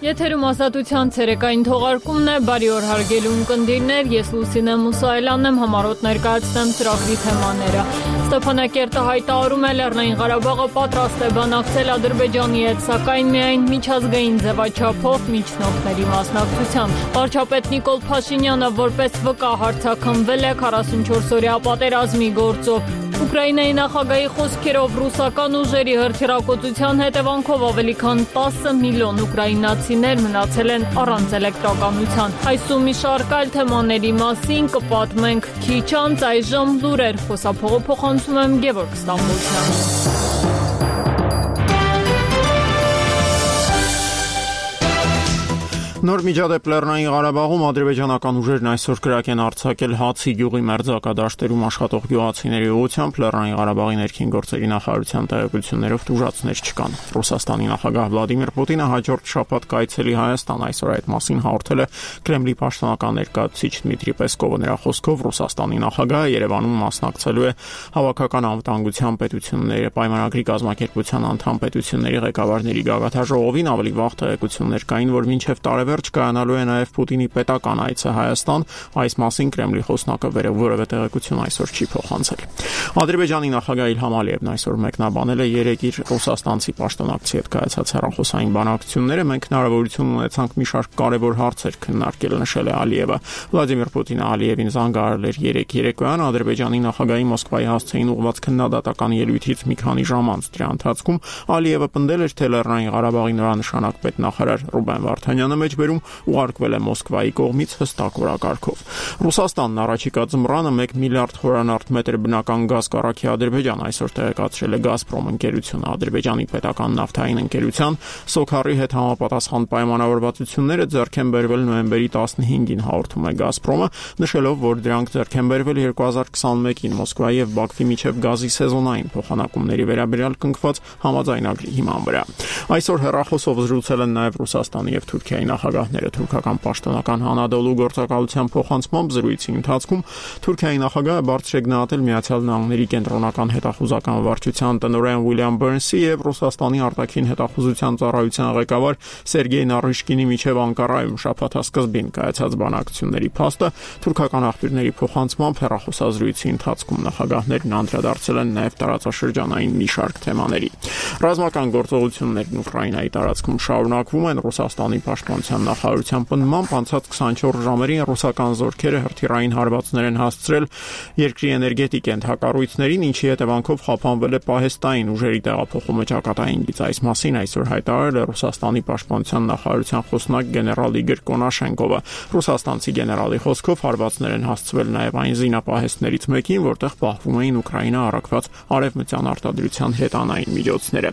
Եթերում ազատության ցերեկային թողարկումն է, բարի օր հարգելի ունկնդիրներ, ես Լուսինե Մուսայելյանն եմ, համառոտ ներկայացնեմ ծրագրի թեմաները։ Ստեփանակերտը հայտարարում է Լեռնային Ղարաբաղը պատրաստ է բանակցել Ադրբեջանի հետ, սակայն միայն միջազգային ձևաչափով միջնորդների մասնակցությամբ։ Վարչապետ Նիկոլ Փաշինյանը որպես վկա հարձակվել է 44-օրյա պատերազմի գործով։ Ուկրաինայի նախագահի խոսքերով ռուսական ուժերի հրթիռակոծության հետևանքով ավելի քան 10 միլիոն ուկրաինացիներ մնացել են առանց էլեկտրականության։ Այսու մի շարք այլ թեմաների մասին կպատմենք քիչ անց, այժմ լուրեր, խոսափողը փոխանցում եմ Գևորգ Ստամբոլցյանին։ Նոր միջադեպ Լեռնային Ղարաբաղում ադրբեջանական ուժերն այսօր կրակ են արձակել Հացի գյուղի մերձակադաշտերում աշխատող գյուղացիների ուղղությամբ Լեռնային Ղարաբաղի ներքին գործերի նախարարության տեղեկություններով տուժածներ չկան։ Ռուսաստանի նախագահ Վլադիմիր Պուտինը հաջորդ շաբաթ կայցելի Հայաստան, այսօր այդ մասին հաղորդել է Կրեմլի պաշտոնական ներկայացուցիչ Դմիտրի Պեսկովը։ Նրա խոսքով Ռուսաստանի նախագահը Երևանում մասնակցելու է հավաքական անվտանգության պետությունների պայմանագրի կազմակերպության անդամ պետությունների ղեկավարների գագաթնաժողովին։ Ավելի վաղ տեղեկություններ կային, որ մինչև տարեվերջ կայանալու է նաև Պուտինի պետական այցը Հայաստան, այս մասին Կրեմլի խոսնակը որևէ տեղեկություն այսօր չի փոխանցել։ Ադրբեջանի նախագահ Իլհամ Ալիևն այսօր մեկնաբանել է երեք իր ռուսաստանցի պաշտոնակցի հետ կայացած հեռախոսային բանակցությունները։ Մենք հնարավորություն ունեցանք մի շարք կարևոր հարցեր քննարկել, նշել է Ալիևը։ Վլադիմիր Պուտինը Ալիևին զանգահարել էր երեկոյան Ադրբեջանի նախագահի Մոսկվայի հասցեին ուղղված քննադատական ելույթից մի քանի ժամ անց։ Դրա ընթացքում Ալիևը պնդել էր, թե Լեռնային Ղարաբաղի նորանշանակ պետնախարար Ռուբեն Վարդանյանը մեջբերում ուղարկվել է Մոսկվայի կողմից հստակ օրակարգով։ Ռուսաստանն առաջիկա ձմռանը 1 միլիարդ խորանարդ մետր բնական գազ կառավարի Ադրբեջան, այսօր տեղեկացրել է Գազպրոմ ընկերությունը։ Ադրբեջանի պետական նավթային ընկերության Սոքարի հետ համապատասխան պայմանավորվածությունները ձեռք են բերվել նոյեմբերի 15-ին, հաղորդում է Գազպրոմը, նշելով, որ դրանք ձեռք են բերվել 2021-ին Մոսկվայի եւ Բաքվի միջև գազի սեզոնային փոխանակումների վերաբերյալ կնքված համաձայնագրի հիման վրա։ Այսօր հեռախոսով զրուցել են նաև Ռուսաստանի եւ Թուրքիայի նախագահները։ Թուրքական պաշտոնական Հանադոլու գործակալության փոխանցմամբ զրույցի ընթացքում Թուրքիայի նախագահը բարձր է գնահատել Միացյալ Նահանգների կենտրոնական հետախուզական վարչության տնօրեն Ուիլյամ Բըրնսի եւ Ռուսաստանի արտաքին հետախուզության ծառայության ղեկավար Սերգեյ Նարիշկինի միջև Անկարայում շաբաթասկզբին կայացած բանակցությունների փաստը։ Թուրքական աղբյուրների փոխանցմամբ հեռախոսազրույցի ընթացքում նախագահներն անդրադարձել են նաև տարածաշրջանային մի շարք թեմաների։ Ռազմական գործողություններն Ուկրաինայի տարածքում շարունակվում են։ Ռուսաստանի պաշտպանության նախարարության պնդմամբ անցած 24 ժամերին ռուսական զորքերը հրթիռային հարվածներ են հասցրել երկրի էներգետիկ ենթակառույցներին, ինչի հետևանքով խափանվել է պահեստային ուժերի տեղափոխումը ճակատայինից։ Այս մասին այսօր հայտարարել է Ռուսաստանի պաշտպանության նախարարության խոսնակ գեներալ Իգոր Կոնաշենկովը։ Ռուսաստանցի գեներալի խոսքով հարվածներ են հասցվել նաև այն զինապահեստներից մեկին, որտեղ պահվում էին Ուկրաինա առաքված արևմտյան արտադրության հետանային միջոցները։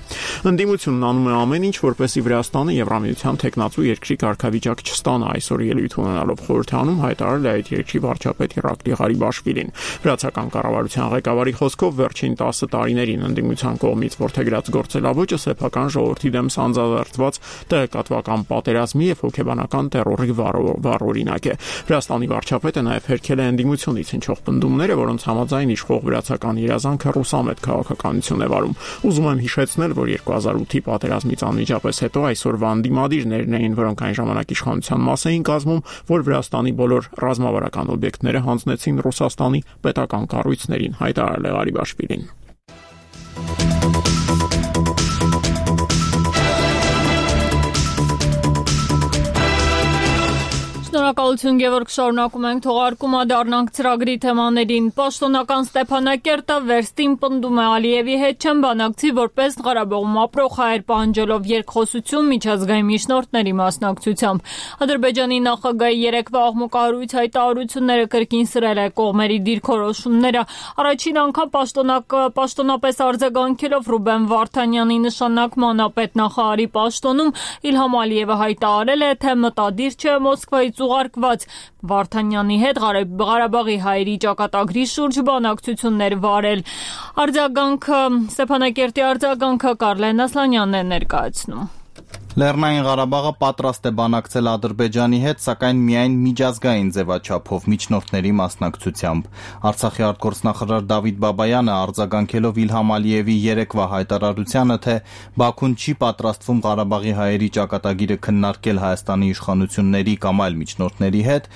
Ընդդիմությունն անում է ամեն ինչ, որպեսզի Վրաստանը Եվրամիության թեկնածու երկրի կարգավիճակ չստանա, այսօր ելույթ ունենալով խորհրդանում հայտարարել է այդ երկրի վարչապետ Իրակլի Ղարիբաշվիլին։ Վրացական կառավարության ղեկավարի խոսքով վերջին 10 տարիներին ընդդիմության կողմից որդեգրած գործելավոճը սեփական ժողովրդի դեմ սանձազերծված տեղեկատվական պատերազմի եւ հոգեբանական տեռորի վառօրինակ է։ Վրաստանի վարչապետը նաև հերքել է ընդդիմությունից հնչող պնդումները, որոնց համաձայն իշխող վրացական իրազանքը ռուսամետ քաղաքականություն է վարում։ Ուզում եմ հիշեցնել, որ 2008-ի պատերազմից անմիջապես հետո այսօրվա ընդդիմադիրներն էին, որոնք այն ժամանակ իշխանության մաս էին կազմում, որ Վրաստանի բոլոր ռազմավարական օբյեկտները հանձնեցին Ռուսաստանի պետական կառույցներին, հայտարարել է Ղարիբաշվիլին։ Շնորհակալություն Գևորգ, շարունակում ենք թողարկումը, դառնանք ծրագրի թեմաներին։ Պաշտոնական Ստեփանակերտը վերստին պնդում է Ալիևի հետ չեն բանակցի որպես Ղարաբաղում ապրող հայեր, պահանջելով երկխոսություն միջազգային միջնորդների մասնակցությամբ։ Ադրբեջանի նախագահի երեկվա աղմուկահարույց հայտարարությունները կրկին սրել է կողմերի դիրքորոշումները։ Առաջին անգամ պաշտոնապես արձագանքելով Ռուբեն Վարդանյանի նշանակման պետնախարարի պաշտոնում Իլհամ Ալիևը հայտարարել է, թե մտադիր չէ Մոսկվայից ուղարկված Վարդանյանի հետ Ղարաբաղի հայերի ճակատագրի շուրջ բանակցություններ վարել։ Ստեփանակերտի արձագանքը Կարլեն Ասլանյանն է ներկայացնում։ Լեռնային Ղարաբաղը պատրաստ է բանակցել Ադրբեջանի հետ, սակայն միայն միջազգային ձևաչափով միջնորդների մասնակցությամբ։ Արցախի արտգործնախարար Դավիթ Բաբայանը արձագանքելով Իլհամ Ալիևի երեկվա հայտարարությանը, թե Բաքուն չի պատրաստվում Ղարաբաղի հայերի ճակատագիրը քննարկել Հայաստանի իշխանությունների կամ այլ միջնորդների հետ,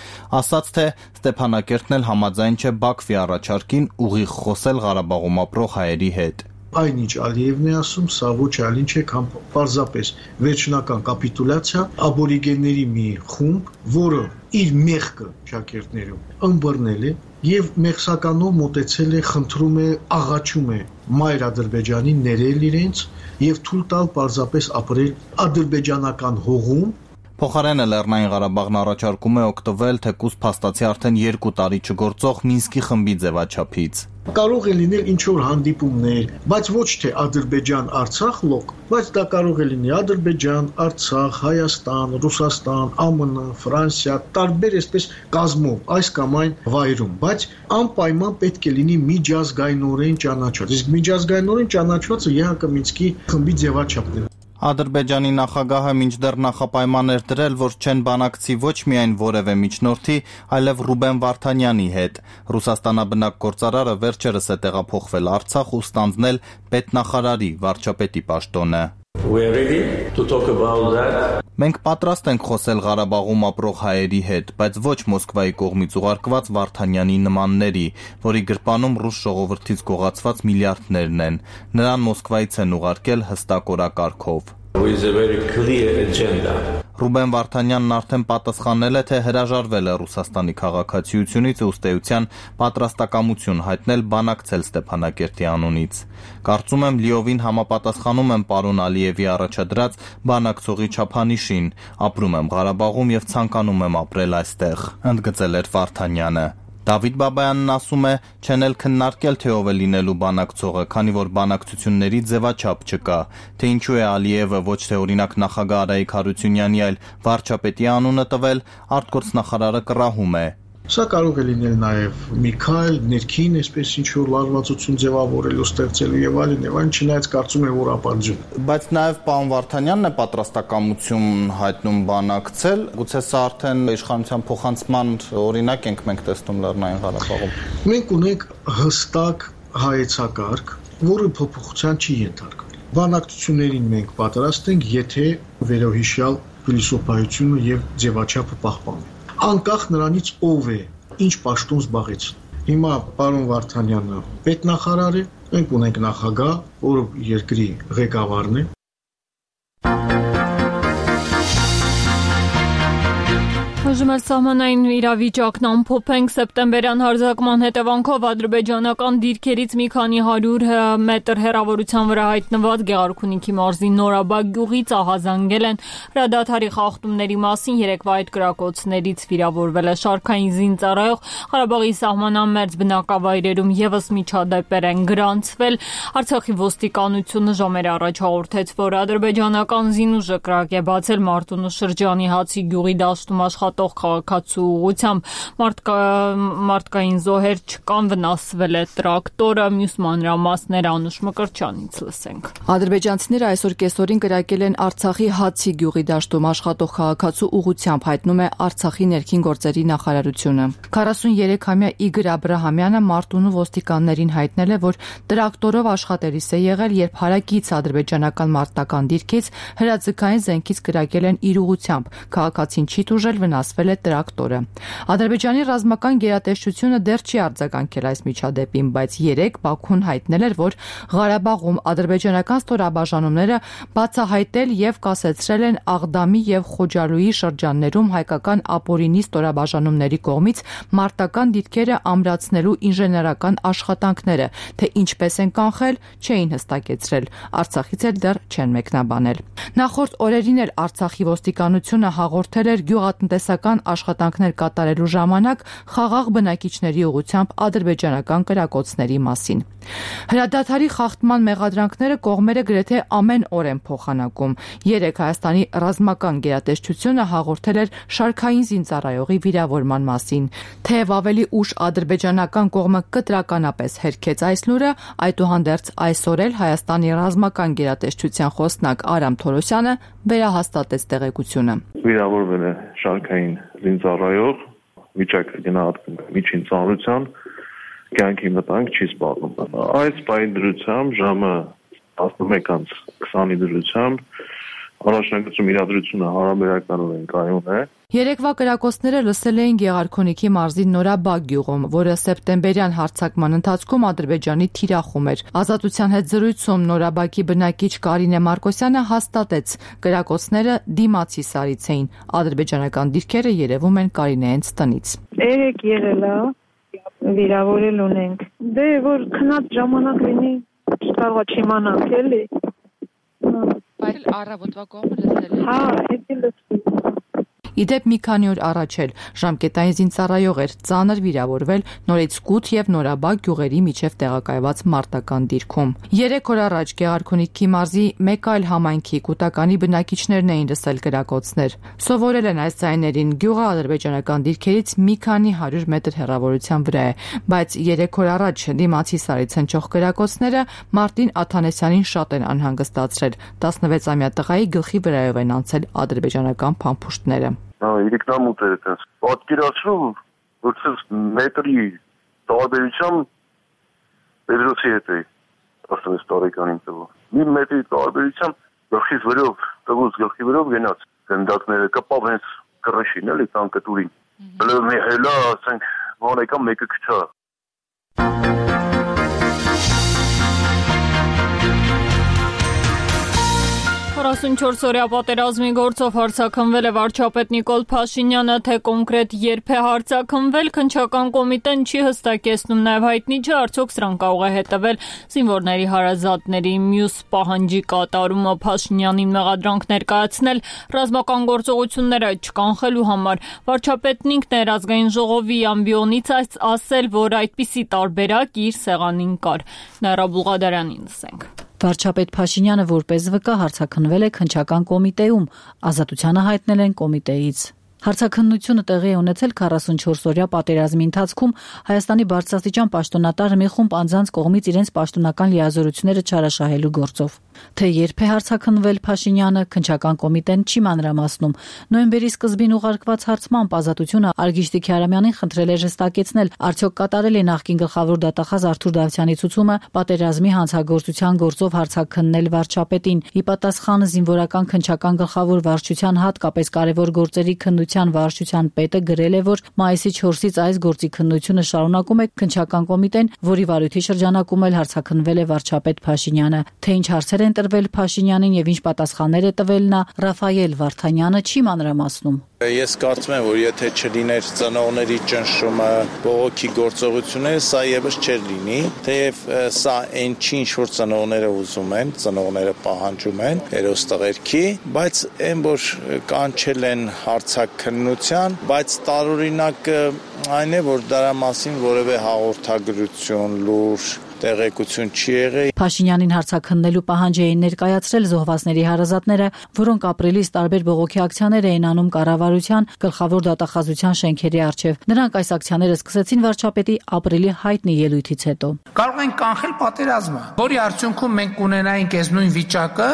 ասաց, թե Ստեփանակերտն էլ համաձայն չէ Բաքվի առաջարկին ուղիղ խոսել Ղարաբաղում ապրող հայերի հետ։ Այն ինչ Ալիևն է ասում, սա ոչ այլ ինչ է, քան պարզապես վերջնական կապիտուլյացիա աբորիգենների մի խումբ, որը իր մեղքը շակերտներում ըմբռնել է եւ մեղսականով մոտեցել է, խնդրում է, աղաչում է մայր Ադրբեջանին ներել իրենց եւ թույլ տալ պարզապես ապրել ադրբեջանական հողում։ Փոխարենը Լեռնային Ղարաբաղն առաջարկում է օգտվել թեկուզ փաստացի արդեն 2 տարի չգործող Մինսկի խմբի ձևաչափից։ Կարող է լինել ինչ-որ հանդիպումներ, բայց ոչ թե Ադրբեջան-Արցախ լոկ, բայց դա կարող է լինի Ադրբեջան, Արցախ, Հայաստան, Ռուսաստան, ԱՄՆ, Ֆրանսիա, տարբեր այսպես կազմով այս կամ այն վայրում, բայց անպայման պետք է լինի միջազգայինորեն ճանաչված։ Իսկ միջազգայինորեն ճանաչվածը ԵՀԿ Մինսկի խմբի ձևաչափն է։ Ադրբեջանի նախագահը մինչդեռ նախապայման էր դրել, որ չեն բանակցի ոչ միայն որևէ միջնորդի, այլև Ռուբեն Վարդանյանի հետ։ Ռուսաստանաբնակ գործարարը վերջերս է տեղափոխվել Արցախ ու ստանձնել պետնախարարի վարչապետի պաշտոնը։ Մենք պատրաստ ենք խոսել Ղարաբաղում ապրող հայերի հետ, բայց ոչ Մոսկվայի կողմից ուղարկված Վարդանյանի նմանների, որի գրպանում ռուս ժողովրդից գողացված միլիարդներն են։ Նրան Մոսկվայից են ուղարկել հստակ օրակարգով։ Ռուբեն Վարդանյանն արդեն պատասխանել է, թե հրաժարվել է Ռուսաստանի քաղաքացիությունից ու ըստ էության պատրաստակամություն հայտնել բանակցել Ստեփանակերտի անունից։ Կարծում եմ լիովին համապատասխանում եմ պարոն Ալիևի առաջադրած բանակցողի չափանիշին, ապրում եմ Ղարաբաղում եւ ցանկանում եմ ապրել այստեղ, ընդգծել էր Վարդանյանը։ Դավիթ Բաբայանն ասում է, չեն էլ քննարկել, թե ով է լինելու բանակցողը, քանի որ բանակցությունների ձևաչափ չկա, թե ինչու է Ալիևը ոչ թե օրինակ նախագահ Արայիկ Հարությունյանի, այլ վարչապետի անունը տվել, արտգործնախարարը կռահում է։ Սա կարող է լինել նաև մի քայլ, ներքին, այսպես ինչ-որ լարվածություն ձևավորելու, ստեղծելու եւ այլն, չնայած կարծում եմ, որ ապարդյուն։ Բայց նաև պարոն Վարդանյանն է պատրաստակամություն հայտնում բանակցել, գուցե սա արդեն իշխանության փոխանցման օրինակ ենք մենք տեսնում Լեռնային Ղարաբաղում։ Մենք ունենք հստակ հայեցակարգ, որը փոփոխության չի ենթարկվել։ Բանակցություններին մենք պատրաստ ենք, եթե վերոհիշյալ փիլիսոփայությունը եւ ձևաչափը պահպանվի։ Անկախ նրանից ով է, ինչ պաշտոն զբաղեց։ Հիմա պարոն Վարդանյանը պետնախարար է, մենք ունենք նախագահ, որը երկրի ղեկավարն է։ Այժմ սահմանային իրավիճակն ամփոփենք սեպտեմբերյան հարձակման հետևանքով ադրբեջանական դիրքերից մի քանի 100 մետր հեռավորության վրա հայտնված Գեղարքունիքի մարզի Նորաբակ գյուղից ահազանգել են հրադադարի խախտումների մասին երեկվա այդ կրակոցներից վիրավորվել է շարքային զինծառայող Ղարաբաղի սահմանամերձ բնակավայրերում եւս միջադեպեր են գրանցվել Արցախի ոստիկանությունը ժամեր առաջ հաղորդեց, որ ադրբեջանական զինուժը կրակ է բացել Մարտունու շրջանի Հացի գյուղի դաշտում աշխատող քաղաքացու ուղղությամբ մարդկային զոհեր չկան, վնասվել է տրակտորը, մյուս մանրամասները Անուշ Մկրտչյանից լսենք։ Ադրբեջանցիները այսօր կեսօրին կրակել են Արցախի Հացի գյուղի դաշտում աշխատող քաղաքացու ուղղությամբ, հայտնում է Արցախի ներքին գործերի նախարարությունը։ 43-ամյա Իգոր Աբրահամյանը Մարտունու ոստիկաններին հայտնել է, որ տրակտորով աշխատելիս է եղել, երբ հարակից ադրբեջանական մարտական դիրքից հրաձգային զենքից կրակել են իր ուղղությամբ։ Քաղաքացին չի տուժել, վնասվել է տրակտորը։ Ադրբեջանի ռազմական գերատեսչությունը դեռ չի արձագանքել այս միջադեպին, բայց երեկ Բաքուն հայտնել էր, որ Ղարաբաղում ադրբեջանական ստորաբաժանումները բացահայտել եւ կասեցրել են Աղդամի եւ Խոջալույի շրջաններում հայկական ապօրինի ստորաբաժանումների կողմից մարտական դիրքերը ամրացնելու ինժեներական աշխատանքները, թե ինչպես են կանխել, չէին հստակեցրել։ Արցախից էլ դեռ չեն մեկնաբանել։ Նախորդ օրերին էլ Արցախի ոստիկանությունը հաղորդել էր գյուղատնտեսական բացասական աշխատանքներ կատարելու ժամանակ խաղաղ բնակիչների ուղղությամբ ադրբեջանական կրակոցների մասին։ Հրադադարի խախտման մեղադրանքները կողմերը գրեթե ամեն օր են փոխանակում։ Երեկ Հայաստանի ռազմական գերատեսչությունը հաղորդել էր շարքային զինծառայողի վիրավորման մասին։ Թեև ավելի ուշ ադրբեջանական կողմը կտրականապես հերքեց այս լուրը, այդուհանդերձ այսօր էլ Հայաստանի ռազմական գերատեսչության խոսնակ Արամ Թորոսյանը վերահաստատեց տեղեկությունը։ Վիրավորվել է շարքային զինծառայող, վիճակը գնահատվում է միջին ծանրության, կյանքի մտանք չի սպառնում։ Այս պահի դրությամբ ժամը 11:20-ի դրությամբ առաջնագծում իրադրությունը հարաբերականորեն կայուն է։ Երեկվա կրակոցները լսել էին Գեղարքունիքի մարզի Նորաբակ գյուղում, որը սեպտեմբերյան հարձակման ընթացքում Ադրբեջանի թիրախում էր։ Ազատության հետ զրույցում Նորաբակի բնակիչ Կարինե Մարկոսյանը հաստատեց, կրակոցները դիմացի սարից էին։ Ադրբեջանական դիրքերը երևում են Կարինեենց տնից։ Երեք եղել է, վիրավորել ունենք։ Դե որ քնած ժամանակ լինի, չկարողա չիմանանք էլի։ Բայց առավոտվա կողմը լսել եք։ Հա, էդի լսել։ Իդեպ մի քանի օր առաջ էլ ժամկետային զինծառայող էր ծանր վիրավորվել նորից Կութ եւ Նորաբակ գյուղերի միջև տեղակայված մարտական դիրքում։ 3 օր առաջ Գեղարքունիքի մարզի մեկ այլ համայնքի կուտականի բնակիչներն էին լսել կրակոցներ։ Սովորել են այս ձայներին, գյուղը ադրբեջանական դիրքերից մի քանի 100 մետր հեռավորության վրա է, բայց 3 օր առաջ դիմացի սարից հնչող կրակոցները Մարտին Աթանեսյանին շատ են անհանգստացրել։ 16-ամյա տղայի գլխի վրայով են անցել ադրբեջանական փամփուշտները։ Իրիկնամուտ է այդպես։ Պատկերացրու, որ ցես մետրի տարբերությամբ Պետրոսի հետ է 16 տարեկանին տղա։ Մի մետրի տարբերությամբ գլխից վրով, տղուց գլխի վրով գնաց։ Գնդակները կպավ հենց կռշին էլի տանկտուրին։ Բլոմի հելա, ասենք, ոնեկա մեկը քչա։ 44-օրյա պատերազմի գործով հարձակվել է վարչապետ Նիկոլ Փաշինյանը, թե կոնկրետ երբ է հարձակվել, քննչական կոմիտեն չի հստակեցնում, նաև հայտնի չէ արդյոք սրան կարող է հետևել զինվորների հարազատների մյուս պահանջի կատարումը Փաշինյանին մեղադրանք ներկայացնել ռազմական գործողությունները չկանխելու համար։ Վարչապետն ինքն էր ազգային ժողովի ամբիոնից ասել, որ այդպիսի տարբերակ իր սեղանին կար։ Նաիրա Բուղադարյանին լսենք։ Վարչապետ Փաշինյանը որպես վկա հարձակվել է քննչական կոմիտեում, ազատությանը հայտնել են կոմիտեից։ Հարցաքննությունը տեղի է ունեցել 44-օրյա պատերազմի ընթացքում Հայաստանի բարձրաստիճան պաշտոնատար մի խումբ անձանց կողմից իրենց պաշտոնական լիազորությունները չարաշահելու գործով։ Թե երբ է հարցաքննվել Փաշինյանը, քննչական կոմիտեն չի մանրամասնում։ Նոյեմբերի սկզբին ուղարկված հարցմամբ ազատությունը Արգիշտի Քյարամյանին խնդրել է հստակեցնել, արդյոք կատարել է նախկին գլխավոր դատախազ Արթուր Դավթյանի ցուցումը պատերազմի հանցագործության գործով հարցաքննել վարչապետին։ Ի պատասխան զինվորական քննչական գլխավոր վարչության հատկապես կարևոր գործերի քննության վարչության պետը գրել է, որ մայիսի 4-ից այս գործի քննությունը շարունակում է քննչական կոմիտեն, որի վարույթի շրջանակում էլ հարցաքննվել է վարչապետ Փաշինյանը։ Թե ինչ հարցեր են տրվել Փաշինյանին եւ ինչ պատասխաններ է տվել նա, Ռաֆայել Վարդանյանը չի մանրամասնում։ Ես կարծում եմ, որ եթե չլիներ ծնողների ճնշումը, բողոքի գործողությունները, սա եւս չէր լինի, թեև սա այն չի, ինչ որ ծնողները ուզում են, ծնողները պահանջում են հերոստղերքի, բայց այն որ կանչել են հարցաքննության, բայց տարօրինակը այն է, որ դրա մասին որևէ հաղորդագրություն, լուր տեղեկություն չի եղել։ Փաշինյանին հարցաքննելու պահանջ էին ներկայացրել զոհվածների հարազատները, որոնք ապրիլից տարբեր բողոքի ակցիաներ էին անում կառավարության գլխավոր դատախազության շենքերի առջև։ Նրանք այս ակցիաները սկսեցին վարչապետի ապրիլի հայտնի ելույթից հետո։ Կարող են կանխել պատերազմը, որի արդյունքում մենք կունենայինք այս նույն վիճակը,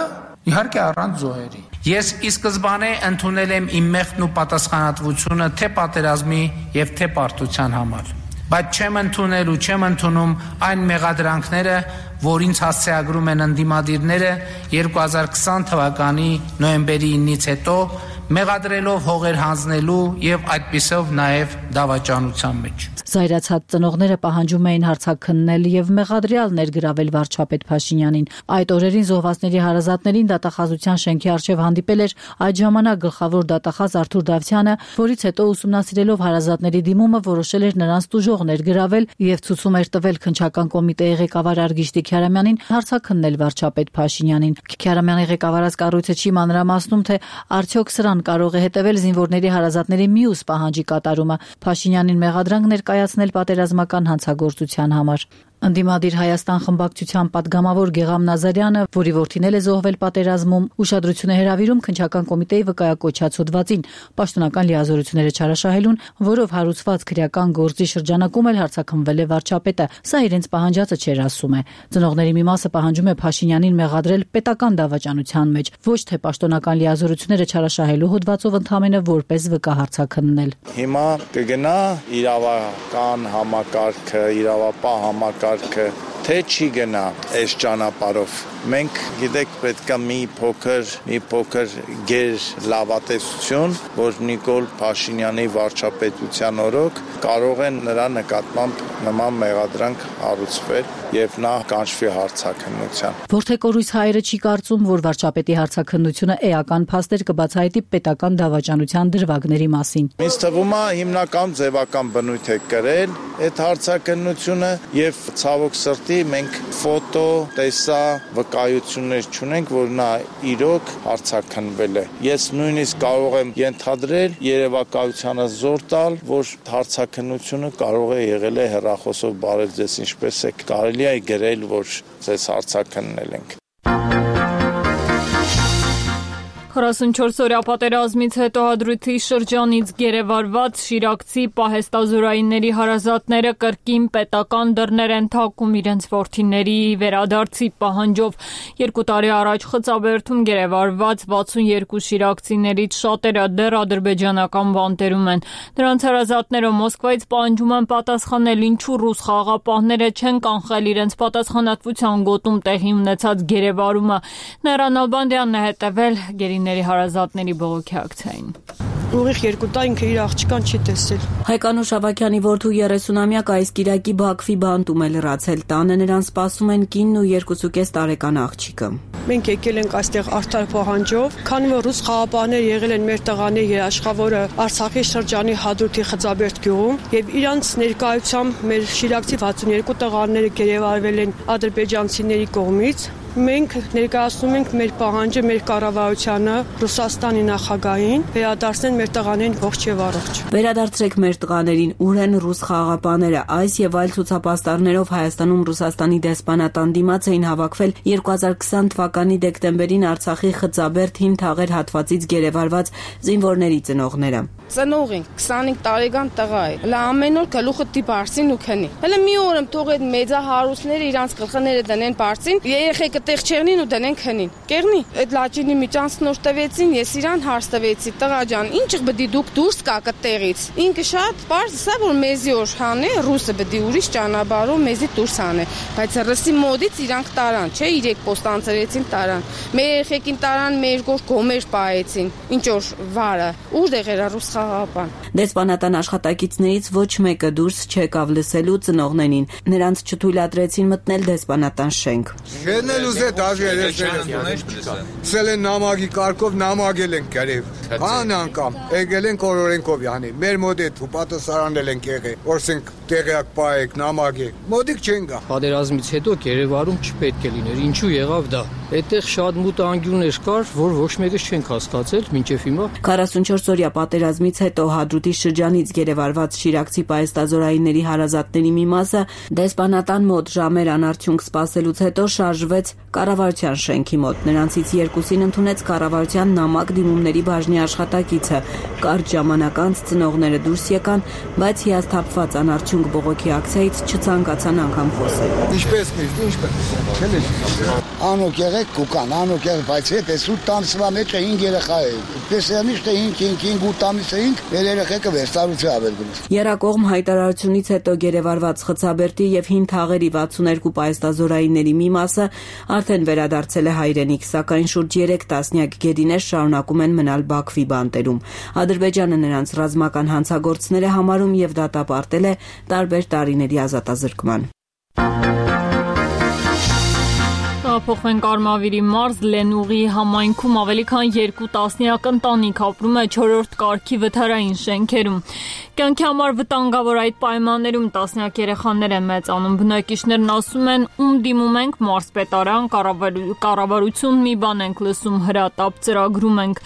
իհարկե առանց զոհերի։ Ես ի սկզբանե ընդունել եմ իմ մեղքն ու պատասխանատվությունը թե պատերազմի եւ թե պարտության համար։ Բայց չեմ ընդունել ու չեմ ընդունում այն մեղադրանքները, որ ինձ հասցեագրում են ընդդիմադիրները 2020 թվականի նոյեմբերի 9-ից հետո, մեղադրելով հողեր հանձնելու եւ այդպիսով նաեւ դավաճանության մեջ։ Զայրացած ծնողները պահանջում էին հարցաքննել եւ մեղադրյալ ներգրավել վարչապետ Փաշինյանին։ Այդ օրերին զոհվածների հարազատներին դատախազության շենքի առջև հանդիպել էր այդ ժամանակ գլխավոր դատախազ Արթուր Դավթյանը, որից հետո ուսումնասիրելով հարազատների դիմումը որոշել էր նրանց տուժող ներգրավել եւ ցուցում էր տվել քննչական կոմիտեի ղեկավար Արգիշտի Քյարամյանին հարցաքննել վարչապետ Փաշինյանին։ Քյարամյանի ղեկավարած կառույցը չի մանրամասնում, թե արդյոք սրան դրան կարող է հետևել զինվորների հարազատների մյուս պահանջի կատարումը՝ Փաշինյանին մեղադրանք ներկայացնել պատերազմական հանցագործության համար։ Ընդդիմադիր Հայաստան խմբակցության падգամավոր Գեգամ Նազարյանը, որի որդին էլ է զոհվել պատերազմում, ուշադրություն է հրավիրում քննչական կոմիտեի վկայակոչած հոդվածին պաշտոնական լիազորությունները չարաշահելուն, որով հարուցված քրեական գործի շրջանակում էլ հարձակվել է վարչապետը։ Սա իրենց պահանջածը չէր, ասում է։ Ծնողների մի մասը պահանջում է Փաշինյանին մեղադրել պետական դավաճանության մեջ, ոչ թե պաշտոնական լիազորությունները չարաշահելու հոդվածով ընդհանրապես որպես վկա հարձակնել։ Հիմա կգնա իրավական համակարգը, իրավապահ համակարգը, թե չի գնա այս ճանապարհով։ Մենք գիտեք պետքա մի փոքր գեր լավատեսություն, որ Նիկոլ Փաշինյանի վարչապետության օրոք կարող են նրա նկատմամբ նման մեղադրանք հարուցվել եւ նա կանչվի հարցաքննության։ Որթեկորույս հայերը չի կարծում, որ վարչապետի հարցաքննությունը էական փաստեր կբացահայտի պետական դավաճանության դրվագների մասին։ Ինձ թվում է հիմնական ձևական բնույթ է կրել այդ հարցաքննությունը եւ ցավոք սրտի մենք ֆոտո, տեսա, վկայություններ չունենք, որ նա իրոք հարցաքննվել է։ Ես նույնիսկ կարող եմ ենթադրել երևակայությանը զոր տալ, որ հարցաքննությունը կարող է եղել է հեռախոսով բարել ձեզ ինչպես է կարելի է գրել, որ ձեզ հարցաքննել ենք։ 44-օրյա պատերազմից հետո Հադրութի շրջանից գերեվարված շիրակցի պահեստազորայինների հարազատները կրկին պետական դռներ են թակում իրենց որդիների վերադարձի պահանջով։ 2 տարի առաջ Խծաբերդում գերեվարված 62 շիրակցիներից շատերը դեռ ադրբեջանական բանտերում են։ Նրանց հարազատները Մոսկվայից պահանջում են պատասխանել, ինչու ռուս խաղաղապահները չեն կանխել իրենց պատասխանատվության գոտում տեղի ունեցած գերեվարումը։ Նեյրան Ալբանդյանն է հետևել գերիների հարազատների բողոքի ակցիային։ Ուղիղ 2 տարի ինքը իր աղջկան չի տեսել։ Հայկանուշ Ավագյանի որդու 30-ամյակ այս կիրակի Բաքվի բանտում է լրացել։ Տանը նրան սպասում են կինն ու 2.5 տարեկան աղջիկը։ Մենք եկել ենք այստեղ արդար պահանջով, քանի որ ռուս խաղաղապահներ եղել են մեր տղաների երաշխավորը Արցախի շրջանի Հադրութի Խծաբերդ գյուղում եւ իրանց ներկայությամբ մեր շիրակցի 62 տղաները գերեվարվել են ադրբեջանցիների կողմից։ Մենք ներկայացնում ենք մեր պահանջը մեր կառավարությանը, Ռուսաստանի նախագահին, վերադարձնել մեր տղաներին ողջ եւ առողջ։ Վերադարձրեք մեր տղաներին, ուր են ռուս խաղաղապահները։ Այս եւ այլ ցուցապաստառներով Հայաստանում Ռուսաստանի դեսպանատան դիմաց էին հավաքվել 2020 թվականի դեկտեմբերին Արցախի Խծաբերդ հին թաղեր հատվածից գերեվարված զինվորների ծնողները։ Ծնողին 25 տարեկան տղա է։ Հələ ամեն օր գլուխը դի բարձին ու քնի։ Հələ մի օր եմ թող այդ մեծահարուսները իրանց գլխները դնեն բարձին, երեխեքը տեղ չեղնին ու դնեն քնին։ Կեղնի։ Այդ լաճինի միջանցնոր տվեցին, ես իրան հարց տվեցի, տղա ջան, ինչ բդի դուք դուրս կա կտեղից։ Ինքը շատ բարձ սա որ մեզի օր հանե, ռուսը բդի ուրիշ ճանապարհով մեզի դուրս հանե։ Բայց ռուսի մոդից իրանք տարան, չէ, 3 պոստանցերեցին տարան։ Մեր երեխեքին տարան, մեր գոր գոմեր պահեցին։ Ինչ որ վարը, ուր էր ռուս խաղաղապահ։ Դեսպանատան աշխատակիցներից ոչ մեկը դուրս չեկավ լսելու ծնողներին։ Նրանց չթույլատրեցին մտնել դեսպանատան շենք։ Սել են նամակի կարգով նամակել են գրև։ Ան անգամ եկել են օրորենքով յանի։ Մեր մոդետ ու պատասխանել են եղել։ Որսենք տեղյակ պայեք նամակեք։ Մոդիկ չեն գա։ Պատերազմից հետո գերեվարում չպետք է լիներ։ Ինչու եղավ դա։ Այդտեղ շատ մութ անկյուններ կար, որ ոչ մեկը չենք հասկացել մինչև հիմա։ 44-օրյա պատերազմից հետո Հադրութի շրջանից գերեվարված շիրակցի պահեստազորայինների հարազատների մի մասը դեսպանատան մոտ ժամեր անարդյունք սպասելուց հետո շարժվեց կառավարության շենքի մոտ։ Նրանցից 2-ին ընդունեց կառավարության նամակ դիմումների բաժնի աշխատակիցը։ Կարճ ժամանակ անց ծնողները դուրս եկան, բայց հիասթափված անարդյունք բողոքի ակցիայից չցանկացան անգամ խոսել։ Ինչպես միշտ, ինչպես։ Անոք եղեք կուկան, անոք եղեք, բայց հետ էս 8 ամսվա մեջ 5 երեխա է։ Տեսանիշ թե 5 ամիս էինք, մեր երեխեքը վերստարություն ավել գնաց։ Երակողմ հայտարարությունից հետո գերեվարված Խծաբերդի եւ հին թաղերի 62 պահեստազորայինների մի մասը արդեն վերադարձել է հայրենիք, սակայն շուրջ 3 տասնյակ գերիներ շարունակում են մնալ Բաքվի բանտերում։ Ադրբեջանը նրանց ռազմական հանցագործներ է համարում եւ դատապարտել է տարբեր տարիների ազատազրկման։ Փոխվենք Արմավիրի մարզ Լենուղի համայնքում ավելի քան 2 տասնյակ ընտանիք ապրում է 4-րդ կարգի վթարային շենքերում։ Կյանքի համար վտանգավոր այդ պայմաններում տասնյակ երեխաներ են մեծանում։ Բնակիչներն ասում են, ում դիմում ենք մարզպետարան, կառավարություն մի բան ենք լսում, հրատապ ծրագրում ենք։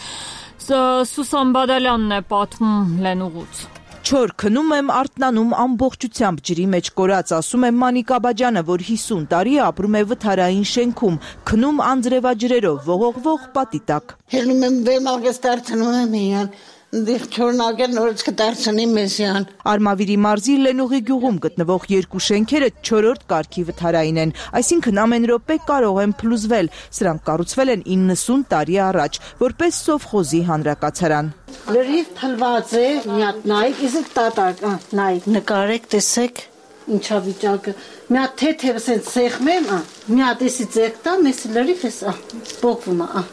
Սուսան Բադալյանն է պատմում Լենուղուց։ Չոր քնում եմ, արթնանում ամբողջությամբ ջրի մեջ կորած, ասում է Մանիկ Աբաջյանը, որ 50 տարի ապրում է վթարային շենքում, քնում անձրևաջրերով, ողողվող պատի տակ։ Հելնում եմ վեմաղես դարձնում եմ իրան, դիղ չորնագեր նորից կդարձնի մեզյան։ Արմավիրի մարզի Լենուղի գյուղում գտնվող երկու շենքերը 4-րդ կարգի վթարային են, այսինքն ամեն րոպե կարող են փլուզվել, սրանք կառուցվել են 90 տարի առաջ, որպես սովխոզի հանրակացարան։ Լրիվ փլված է, մի հատ նայեք, իսկ տատակ, նայեք, նկարեք, տեսեք, ինչա վիճակը։ Մի հատ թեթև սենց սեղմ եմ, մի հատ էսի ձեկ տա, մեսի լրիվ ես, բոկվում է,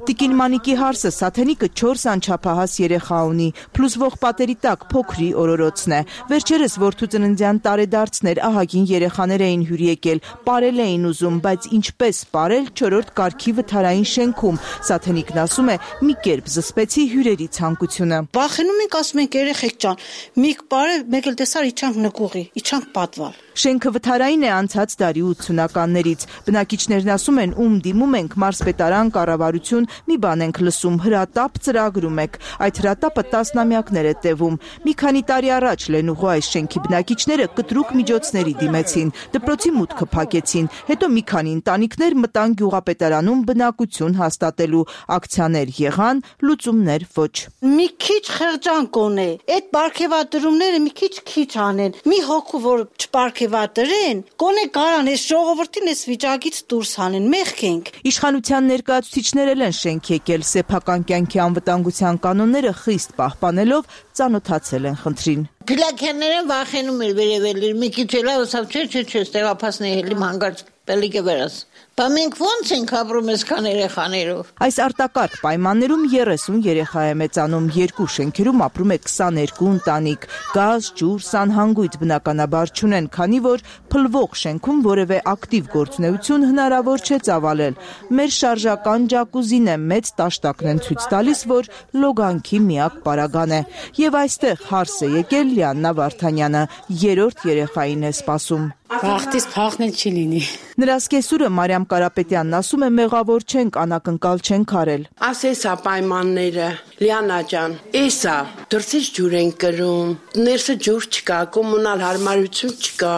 Տիկին Մանիկի հարսը Սաթենիկը 4 անչափահաս երեխա ունի, փլուզվող պատերի տակ փոքրի օրորոցն է։ Վերջերս որդու ծննդյան տարեդարձներ ահագին երեխաներ էին հյուր եկել, պարել էին ուզում, բայց ինչպես պարել 4-րդ կարգի վթարային շենքում։ Սաթենիկն ասում է, մի կերպ զսպեցի հյուրերի ցանկությունը։ Վախենում ենք, ասում ենք երեխեք ջան, միք պարել, մեկ էլ տեսար իջանք նկուղի, իջանք պատվալ։ Շենքը վթարային է անցած դարի 80-ականներից։ Բնակիչներն ասում են, ում դիմում ենք մարզպետարան, կառավարություն, մի բան ենք լսում, հրատապ ծրագրում եք։ Այդ հրատապը տասնամյակներ է տևում։ Մի քանի տարի առաջ Լենուղու այս շենքի բնակիչները կտրուկ միջոցների դիմեցին, դպրոցի մուտքը փակեցին, հետո մի քանի ընտանիքներ մտան գյուղապետարանում բնակություն հաստատելու, ակցիաներ եղան, լուծումներ ոչ։ Մի քիչ խեղճանք է, այդ բարգեւատրումները մի քիչ անեն, մի հոգու որ չբարգեւատրեն, կոնե կարան այս ժողովրդին այս վիճակից դուրս հանեն, մեղք ենք։ Իշխանության ներկայացուցիչներն են շենք եկել, սեփական կյանքի անվտանգության կանոնները խիստ պահպանելով ծանոթացել են խնդրին։ Փիլակյանները վախենում էր վերևել, մի քիչ էլա ուսավ չէ, ստեղափացնի հելիմ հանգարց պելիկը վերած։ Բա մենք ո՞նց ենք ապրում այսքան երեխաներով։ Այս արտակարգ պայմաններում 30 երեխա է մեծանում, երկու շենքերում ապրում է 22 ընտանիք։ Գազ, ջուր, սանհանգույց բնականաբար չունեն, քանի որ փլվող շենքում որևէ ակտիվ գործունեություն հնարավոր չէ ծավալել։ Մեր շարժական ջակուզին է, մեծ տաշտակն են ցույց տալիս, որ լոգանքի միակ պարագան է։ Եվ այստեղ հարս է եկել Լիաննա Վարդանյանը, 3-րդ երեխային է սպասում։ Վախտից փախնել չի լինի։ Նրա սկեսուրը Մարիամ Կարապետյանն ասում է, մեղավոր չենք, անակնկալ չենք արել։ Ասեսա պայմանները, Լիանա ջան, էսա, դրսից ջուր են կրում, ներսը ջուր չկա, կոմունալ հարմարություն չկա,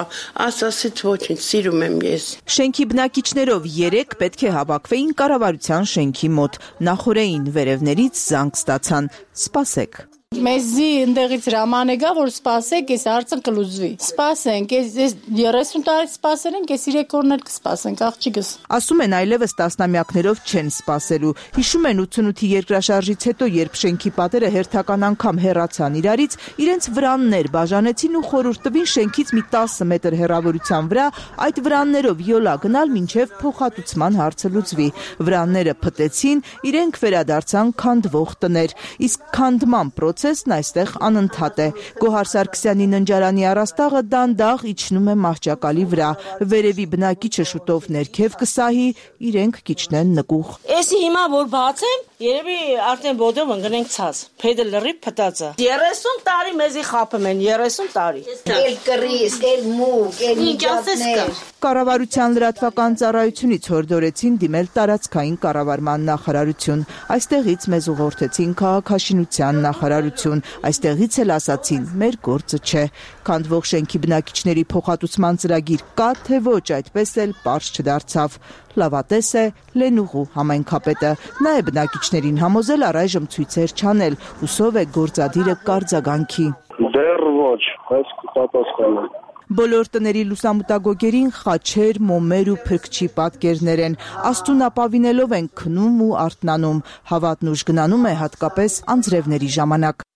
ասացից ոչինչ, սիրում եմ ես։ Շենքի բնակիչներով 3 պետք է հավաքվեին կառավարության շենքի մոտ, նախորդային վերևներից զանգ ստացան, սպասեք։ Մեզի ընդեղից հրաման է գա, որ սպասեք, այս հարցը կլուծվի։ Սպասենք, այս 30 տարի սպասել ենք, այս 3 օրներ կսպասենք, աղջիկս։ Ասում են այլևս տասնամյակներով չեն սպասելու։ Հիշում են 88-ի երկրաշարժից հետո, երբ շենքի պատերը հերթական անգամ հեռացան իրարից, իրենց վրաններ բաժանեցին ու խորհուրդ տվին շենքից մի 10 մետր հեռավորության վրա այդ վրաններով յոլա գնալ մինչև փոխհատուցման հարցը լուծվի։ Վրանները փտեցին, իրենք վերադարձան քանդվող տներ, իսկ քանդման procesն այստեղ անընդհատ է։ Գոհար Սարգսյանի ննջարանի առաստաղը դանդաղ իջնում է մահճակալի վրա։ Վերևի բնակիչը շուտով ներքև կսահի, իրենք կիջնեն նկուղ։ Էսի հիմա որ բացեմ, երևի արդեն բոդով ընկնենք ցած։ Փեդը լրիվ փտած է։ 30 տարի մեզի խափում են, 30 տարի։ Էլ կռիս, էլ մուկ, էլ միջոցներ։ Կառավարության լրատվական ծառայությունից հորդորեցին դիմել տարածքային կառավարման նախարարություն։ Այստեղից մեզ ուղղորդեցին քաղաքաշինության նախարարություն, այստեղից էլ ասացին, մեր գործը չէ։ Քանդվող շենքի բնակիչների փոխհատուցման ծրագիր կա, թե ոչ, այդպես էլ պարզ չդարձավ։ Լավատես է Լենուղու համայնքապետը։ Նա է բնակիչներին համոզել առայժմ ցույցեր չանել, հուսով է գործադիրը կարձագանքի։ Դեռ ոչ, այս կպատասխանեմ։ Բոլոր տների լուսամուտագոգերին խաչեր, մոմեր ու փրկչի պատկերներ են։ Աստուն ապավինելով են քնում ու արթնանում։ Հավատն ուժ գնանում է հատկապես անձրևների ժամանակ։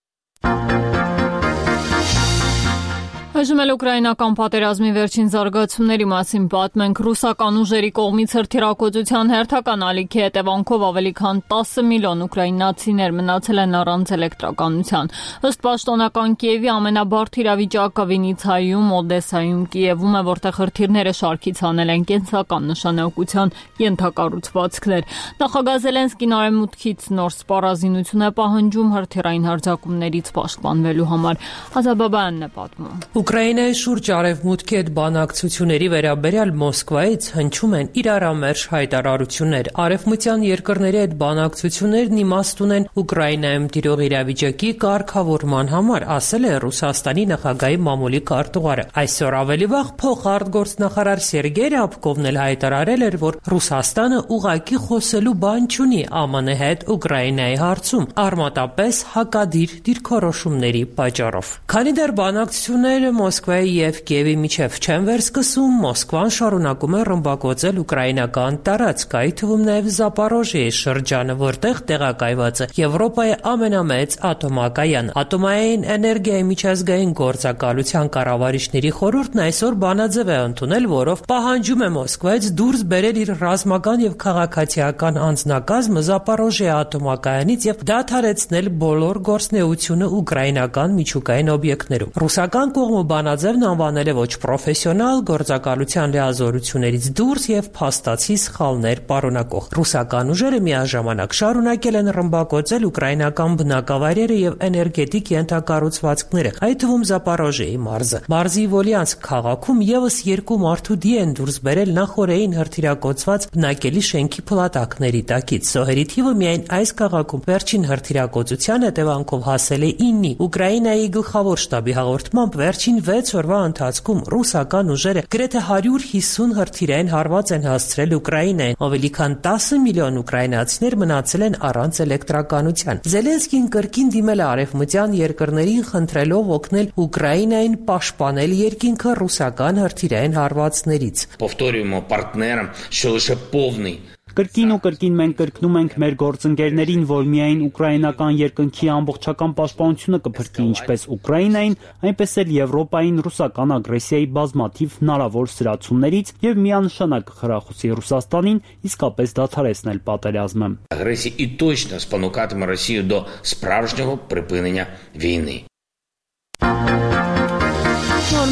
Այժմ էլ ուկրաինական պատերազմի վերջին զարգացումների մասին պատմենք։ Ռուսական ուժերի կողմից հրթիռակոծության հերթական ալիքի հետևանքով ավելի քան 10 միլիոն ուկրաինացիներ մնացել են առանց էլեկտրականության։ Ըստ պաշտոնական Կիևի ամենաբարդ իրավիճակը Վինիցայում, Օդեսայում, Կիևում է, որտեղ հրթիռները շարքից հանել են կենսական նշանակության ենթակառուցվածքներ։ Նախագահ Զելենսկին արևմուտքից նոր սպառազինություն է պահանջում հրթիռային հարձակումներից պաշտպանվելու համար։ Ազաբաբայանն է պատմում։ Ուկրաինայի շուրջ արևմուտքի հետ բանակցությունների վերաբերյալ Մոսկվայից հնչում են իրարամերժ հայտարարություններ։ Արևմտյան երկրների հետ բանակցություններն իմաստ ունեն Ուկրաինայում տիրող իրավիճակի կարգավորման համար, ասել է Ռուսաստանի նախագահի մամուլի քարտուղարը։ Այսօր ավելի վաղ փոխարտգործնախարար Սերգեյ Ռябկովն էլ հայտարարել էր, որ Ռուսաստանը ուղղակի խոսելու բան չունի ԱՄՆ հետ Ուկրաինայի հարցում, արմատապես հակադիր դիրքորոշումների պատճառով։ Քանի դեռ բանակցությունները Մոսկվայի եւ Կիևի միջև չեն վերսկսում, Մոսկվան շարունակում է ռմբակոծել ուկրաինական տարածք, այդ թվում նաեւ Զապորոժիեի շրջանը, որտեղ տեղակայված է Եվրոպայի ամենամեծ ատոմակայան։ Ատոմային էներգիայի միջազգային գործակալության կառավարիչների խորհուրդն այսօր բանաձև է ընդունել, որով պահանջում է Մոսկվայից դուրս բերել իր ռազմական եւ քաղաքացիական անձնակազմը Զապորոժիեի ատոմակայանից եւ դադարեցնել բոլոր գործունեությունը ուկրաինական միջուկային օբյեկտներում։ Ռուսական կողմը բանաձևն անվանել է ոչ պրոֆեսիոնալ, գործակալության լիազորություններից դուրս եւ փաստացի սխալներ պարունակող։ Ռուսական ուժերը միաժամանակ շարունակել են ռմբակոծել ուկրաինական բնակավայրերը եւ էներգետիկ ենթակառուցվածքները, այդ թվում Զապորոժիեի մարզը։ Մարզի Վոլյանսկ քաղաքում եւս 2 մարդու դի են դուրս բերել նախորդային հրթիռակոծված բնակելի շենքի փլատակների տակից։ Զոհերի թիվը միայն այս քաղաքում վերջին հրթիռակոծության հետևանքով հասել է 9-ի։ Ուկրաինայի գլխավոր շտաբի հաղորդմամբ վերջին 6 օրվա ընթացքում ռուսական ուժերը գրեթե 150 հրթիռային հարված են հասցրել Ուկրաինային։ Ավելի քան 10 միլիոն ուկրաինացիներ մնացել են առանց էլեկտրականության։ Զելենսկին կրկին դիմել է արևմտյան երկրներին, խնդրելով օգնել Ուկրաինային պաշտպանել երկինքը ռուսական հրթիռային հարվածներից։ Повторюємо партнерам, що лише повний Կրկին ու կրկին մենք կրկնում ենք մեր գործընկերներին, որ միայն ուկրաինական երկնքի ամբողջական պաշտպանությունը կփրկի ինչպես Ուկրաինային, այնպես էլ Եվրոպային ռուսական ագրեսիայի բազմաթիվ հնարավոր սրացումներից եւ միանշանակ խրախուսի Ռուսաստանին իսկապես դադարեցնել պատերազմը։ Агресії і точно спонукатиме Росію до справжнього припинення війни.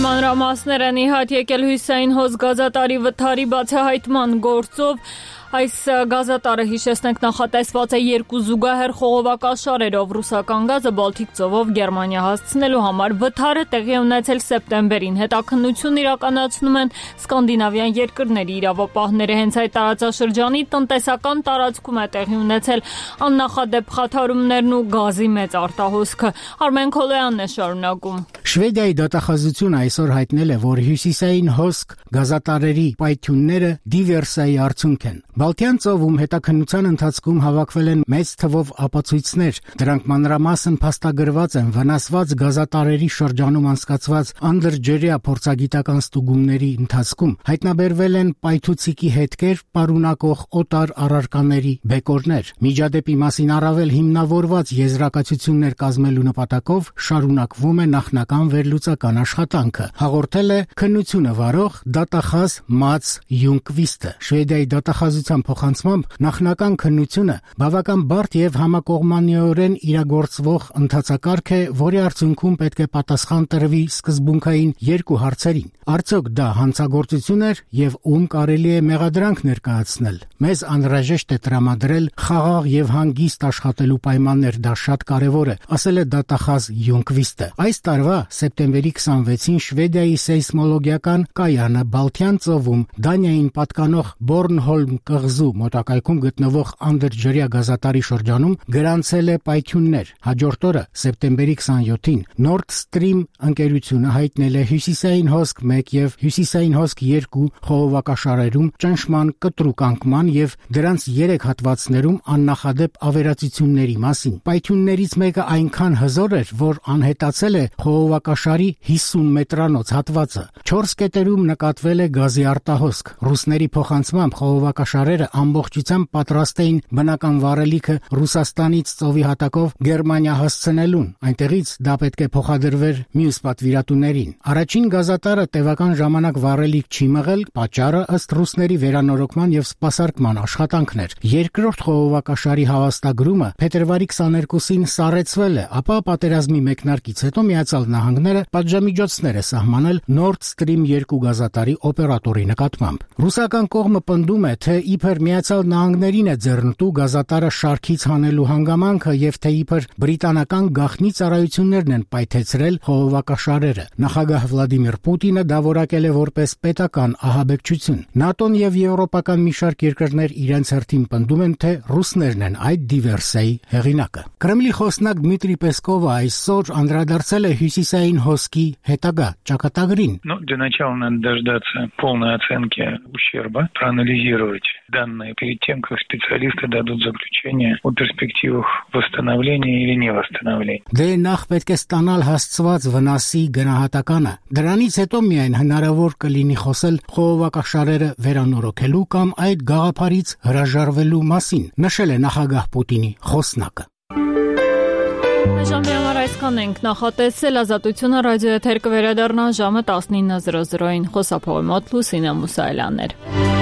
Մանրամասներ են իհատ եկել հյուսային հոս գազատարի վթարի բացահայտման գործով։ Այս գազատարը, հիշեցնենք, նախատեսված է 2 զուգահեռ խողովակաշարերով ռուսական գազը Բալթիկ ծովով Գերմանիա հասցնելու համար։ Վթարը տեղի ունեցել սեպտեմբերին։ Հետաքննություն իրականացնում են սկանդինավյան երկրների իրավապահները։ Հենց այդ տարածաշրջանի տնտեսական տարածքում է տեղի ունեցել աննախադեպ խաթարումներն ու գազի մեծ արտահոսքը։ Արմեն Քոլոյանն է շարունակում։ Շվեդիայի դատախազությունը այսօր հայտնել է, որ հյուսիսային հոսք գազատարերի պայթյունները դիվերսիայի արդյունք են։ Բալթյան ծովում հետաքննության ընթացքում հավաքվել են մեծ թվով ապացույցներ։ Դրանք մանրամասն փաստագրված են վնասված գազատարերի շրջանում անցկացված անդրջերյա փորձագիտական ստուգումների ընթացքում։ Հայտնաբերվել են պայթուցիկի հետքեր պարունակող օտար առարկաների բեկորներ։ Միջադեպի մասին առավել հիմնավորված եզրակացություններ կազմելու նպատակով շարունակվում է նախնական վերլուծական աշխատանքը, հաղորդել է քննությունը վարող դատախազ Մաց Յունկվիստը։ Շվեդիայի դատախազության փոխանցմամբ նախնական քննությունը բավական բարդ եւ համակողմանիորեն իրագործվող ընթացակարգ է, որի արդյունքում պետք է պատասխան տրվի սկզբունքային 2 հարցերին։ Արդյոք դա հանցագործություն էր եւ ում կարելի է մեղադրանք ներկայացնել։ Մեզ անհրաժեշտ է տրամադրել խաղաղ եւ հանգիստ աշխատելու պայմաններ, դա շատ կարեւոր է, ասել է դատախազ Յունկվիստը։ Այս տարվա սեպտեմբերի 26-ին Շվեդիայի սեյսմոլոգիական կայանը Բալթյան ծովում Դանիային պատկանող Բորնհոլմ կղզու մոտակայքում գտնվող անդրջերյա գազատարի շրջանում գրանցել է պայթյուններ։ Հաջորդ օրը սեպտեմբերի 27-ին Nord Stream ընկերությունը հայտնել է հյուսիսային հոսք 1 եւ հյուսիսային հոսք 2 խողովակաշարերում ճնշման կտրուկ անկման եւ դրանց 3 հատվածներում աննախադեպ ավերածությունների մասին։ Պայթյուններից մեկը այնքան հզոր էր, որ անհետացել է խողովակաշարի 50 մետրանոց հատվածը։ 4 կետերում նկատվել է գազի արտահոսք։ Ռուսների փոխանցմամբ խողովակաշարերը ամբողջությամբ պատրաստ էին բնական վառելիքը Ռուսաստանից ծովի հատակով Գերմանիա հասցնելուն։ Այնտեղից դա պետք է փոխադրվեր մյուս պատվիրատուներին։ Առաջին գազատարը տևական ժամանակ վառելիք չի մղել, պատճառը ըստ ռուսների վերանորոգման եւ սպասարկման աշխատանքն էր։ Երկրորդ խողովակաշարի հավաստագրումը փետրվարի 22-ին սառեցվել է, ապա պատերազմի մեկնարկից հետո Միացյալ Նահանգները պատժամիջոցներ է սահմանել Nord Stream 2 գազատարի օպերատորի նկատմամբ։ Ռուսական կողմը պնդում է, թե ի իբր Միացյալ Նահանգներին է ձեռնտու գազատարը շարքից հանելու հանգամանքը եւ թե իբր բրիտանական գաղտնի ծառայություններն են պայթեցրել խողովակաշարերը։ Նախագահ Վլադիմիր Պուտինը դա որակել է որպես պետական ահաբեկչություն։ ՆԱՏՕ-ն եւ եվրոպական մի շարք երկրներ իրենց հերթին պնդում են, թե ռուսներն են այդ դիվերսիայի հեղինակը։ Կրեմլի խոսնակ Դմիտրի Պեսկովը այսօր անդրադարձել է հյուսիսային հոսքի հետագա ճակատագրին։ Для начала надо дождаться полной оценки ущерба, проанализировать данные перед тем, как специалисты дадут заключение о перспективах восстановления или невосстановления. Դե նախ պետք է ստանալ հասցված վնասի գնահատականը։ Դրանից հետո միայն հնարավոր կլինի խոսել խողովակաշարերը վերանորոգելու կամ այդ գաղափարից հրաժարվելու մասին, նշել է նախագահ Պուտինի խոսնակը։ Ժամի համար այսքան ենք նախատեսել, Ազատությունը ռադիոեթեր կվերադառնա ժամը 19:00-ին, խոսափողի մոտ Լուսինե Մուսայելյանն էր։